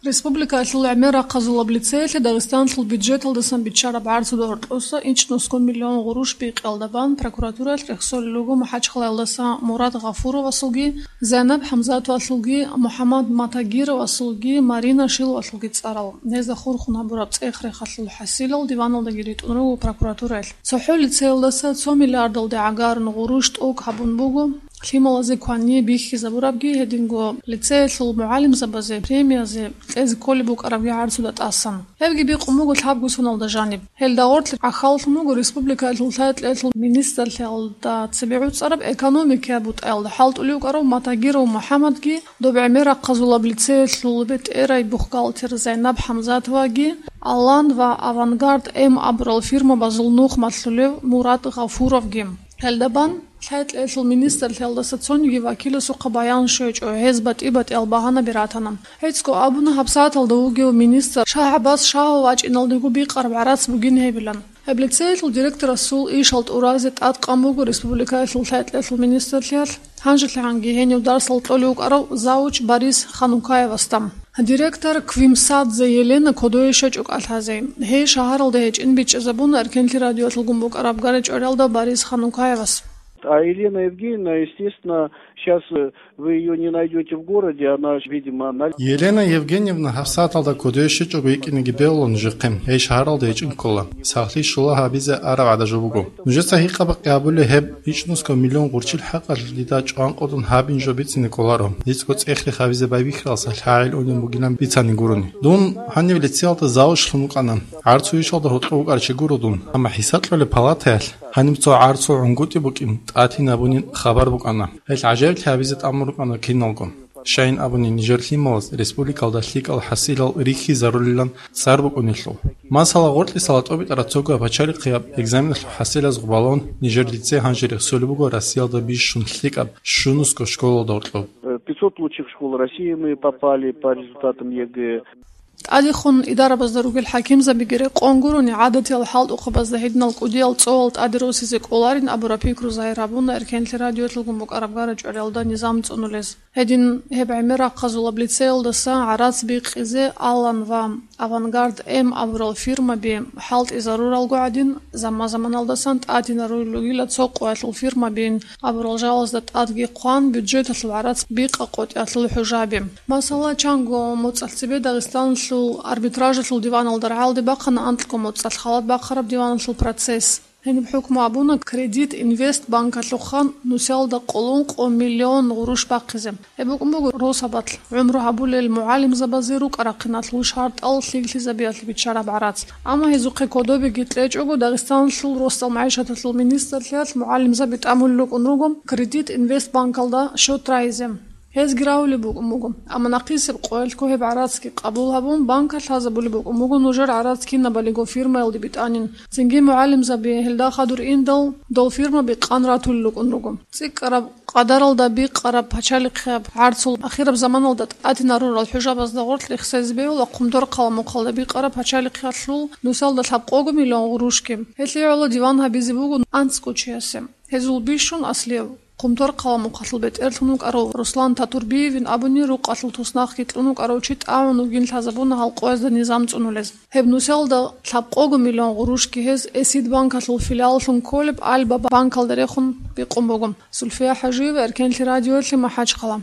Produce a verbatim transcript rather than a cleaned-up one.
Республикаялъул гӀемер рахъазулаб лицеялъе Дагъистаналъул бюджеталдасан биччараб гӀарцуда гьоркьоса ичӀнусго миллион гъурущ бикъиялда бан прокуратураялъ рехсолел руго МахӀачхъалаялдаса Мурад Гъафуровасулги, Зайнаб ХӀамзатовалъулги, МухӀаммад Матагировасулги, Марина Шиловалъулги цӀарал. Гьезда хурхун гьабураб цӀех-рехалъул хӀасилал диваналдаги ритӀун руго прокуратураялъ. ЦохӀо лицеялдаса цо миллиардалде гӀагарун гъурущ тӀокӀ гьабун буго. Лъималазе квание бихьизабурабги, гьединго лицеялъул мугӀалимзабазе премиязе кьезе кколеб букӀарабги гӀарцуда тӀасан. Гьебги бикъун буго лъабго соналда жаниб. Гьелда гъорлъ гӀахьаллъун буго республикаялъул лъай-кьеялъул министрлъиялда цебегӀуцӀараб экономикая бутӀаялда хӀалтӀулев вукӀарав Матагиров МухӀаммадги, доб гӀемер рахъазулаб лицеялъул бетӀерай бухгалтер Зайнаб ХӀамзатоваги, Алан ва Авангард М абурал фирмабазул нух малъулев Мурад Гъафуровги. Гьелда бан лъай-кьеялъул министрлъиялдаса цониги вакиласухъа баян щвечӀо, гьез батӀи-батӀиял багьанаби ратана. ГӀицӀго абуна гьабсагӀаталда вугев министр ШагьгӀабас Шагьов вачӀиналдего бикъараб гӀарац бугин гьебилан. Гьеб лицеялъул директорасул ишал тӀуразе тӀадкъан буго республикаялъул лъай-кьеялъул министрлъиялъ, гьанжелъагӀанги гьенив дарсал кьолев вукӀарав завуч Борис Ханукаевасда. Директор Квимсадзе Елена кодове щвечӀо кӀалъазе. Гьей шагьаралда гьечӀин бичӀчӀизабуна Эркенлъи радиоялъулгун букӀараб гара-чӀвариялда Борис Ханукаевас. А Елена Евгеньевна, естественно, сейчас, э, вы её не найдёте в городе, она, видимо, на... Елена Евгеньевна гьабсагӀаталда кодове щвечӀого йикӀинеги бегьула нужехъе, гьей шагьаралда гьечӀин ккола. Сахлъи щула гьабизе араб гӀадажо буго. Нужеца гьикъаб-къабуле гьеб ичӀнусго миллион гъурчил хӀакъалъулъ дида чӀванкъудун гьабин жо бицине кӀоларо, дицӀго цӀех-рех гьабизе байбихьаралдаса лъагӀел унеб бугилан бицани гурони. Дун гьанив лицеялда завучлъун вукӀана. ГӀарцуйщалда гьоркьов вукӀарчи гуро дун, амма хӀисаб кьолеб палатаялъ гьаниб цо гӀарцул гӀунгутӀи букӀин тӀатинабунин хабар букӀана. Гьел гӀажаиблъи гьабизе тӀамун рукӀана киналго. Щайин абуни, нижер лъималаз республикалда лъикӀал хӀасилал рихьизарулилан цӀар букӀунелъул. Масала, гъоркьисала тӀобитӀараб цогаб пачалихъияб экзаменалъул хӀасилаз гъубалун, нижер лицей гьанже рехсолеб буго Россиялда бищун лъикӀаб щунусго школалда гьоркьоб. Э, пятьсот лучших школ России мы попали по результатам ЕГЭ. ТӀадехун идарабазда ругел хӀакимзабиги рекъон гурони, гӀадатиял хӀалтӀухъабазда гьединал кӀудиял цӀолал тӀаде росизе кӀоларин абураб пикру загьир гьабуна Эркенлъи радиоялъулгун букӀараб гара-чӀвариялда низам цӀунулез. Гьедин гьеб гӀемер рахъазулаб лицеялдаса гӀарац бикъизе Алан ва Авангард М абурал фирмаби хӀалтӀизаруралго гӀадин, заман-заманалдасан тӀадинарулел ругила цо къоялъул фирмабин абурал жалазда тӀадги хъван, бюджеталъул гӀарац бикъа-къотӀиялъул хӀужаби. Масала, чанго моцӀалъ цебе Дагъистаналъул арбитражалъул диваналда рагӀалде бахъана анкьго моцӀалъ халат бахъараб диваналъул процесс. Гьениб хӀукму абуна Кредит Инвест банкалъухъан нусиялда къоло ункъо миллион гъурущ бахъизе. Гьеб букӀун буго росабалъ гӀумру гьабулел мугӀалимзабазе рукӀа-рахъиналъул шартӀал лъикӀлъизабиялъе биччараб гӀарац. Амма гьезухъе кодобеги кьечӀого, Дагъистаналъул росдал магӀишаталъул министрлъиялъ мугӀалимзаби тӀамулел рукӀун руго Кредит Инвест банкалда счет рагьизе. Гьезги рагьулеб букӀун буго. Амма нахъисеб къоялъго гьеб гӀарацги къабул гьабун, банкалъ лъазабулеб букӀун буго нужер гӀарац кинабалиго фирмаялде битӀанин. Цинги мугӀалимзаби гьелда хадур индал, дол фирмаби къан ратулел рукӀун руго. ЦӀикӀкӀараб къадаралда бикъараб пачалихъияб гӀарцул ахираб заманалда тӀадинарурал хӀужабазда гъорлъ рехсезе бегьула Хъумторхъала мухъалда бикъараб пачалихъиялъул нусалда лъабкъого миллион гъурущги. Гьелъие гӀоло диван гьабизе буго анцӀго чиясе. Гьезул бищун аслияв Хъумторхъала мухъалъул бетӀерлъун вукӀарав Руслан Татурбиевин абуни рукъалъул туснахъги кьун вукӀарав чи тӀагӀун вугин лъазабуна гьал къоязда низам цӀунулез. Гьеб нусалда лъабкъого миллион гъурущги гьез Эсид банкалъул филиаллъун кколеб Альба банкалда рехун бикъун буго. Сульфия ХӀажиева, Эркенлъи радиоялъе, МахӀачхъала.